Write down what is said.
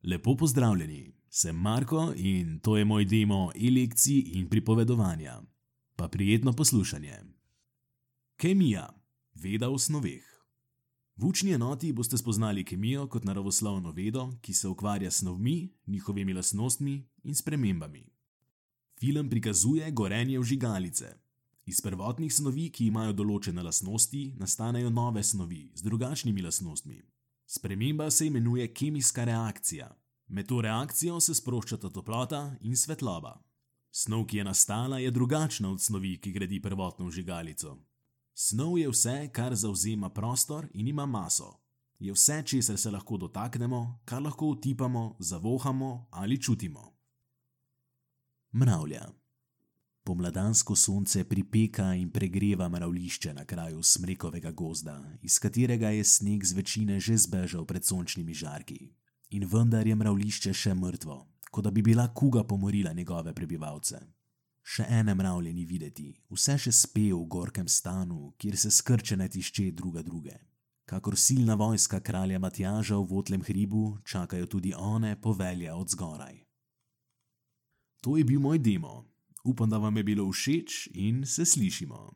Lepo pozdravljeni, sem Marko in to je moj demo e-lekcij in pripovedovanja. Pa prijetno poslušanje. Kemija, veda o snoveh. V učni enoti boste spoznali kemijo kot naravoslovno vedo, ki se ukvarja s snovmi, njihovimi lastnostmi in spremembami. Film prikazuje gorenje vžigalice. Iz prvotnih snovi, ki imajo določene lastnosti, nastanejo nove snovi z drugačnimi lastnostmi. Sprememba se imenuje kemijska reakcija. Med to reakcijo se sproščata toplota in svetloba. Snov, ki je nastala, je drugačna od snovi, ki gradi prvotno vžigalico. Snov je vse, kar zavzema prostor in ima maso. Je vse, česar se lahko dotaknemo, kar lahko otipamo, zavohamo ali čutimo. Mravlja. Pomladansko sonce pripeka in pregreva mravljišče na kraju smrekovega gozda, iz katerega je sneg z večine že zbežal pred sončnimi žarki. In vendar je mravljišče še mrtvo, kot da bi bila kuga pomorila njegove prebivalce. Še ene mravlje ni videti, vse še spe v gorkem stanu, kjer se skrčene tišče druga druge. Kakor silna vojska kralja Matjaža v votlem hribu, čakajo tudi one povelje od zgoraj. To je bil moj demo. Upam, da vam je bilo všeč in se slišimo.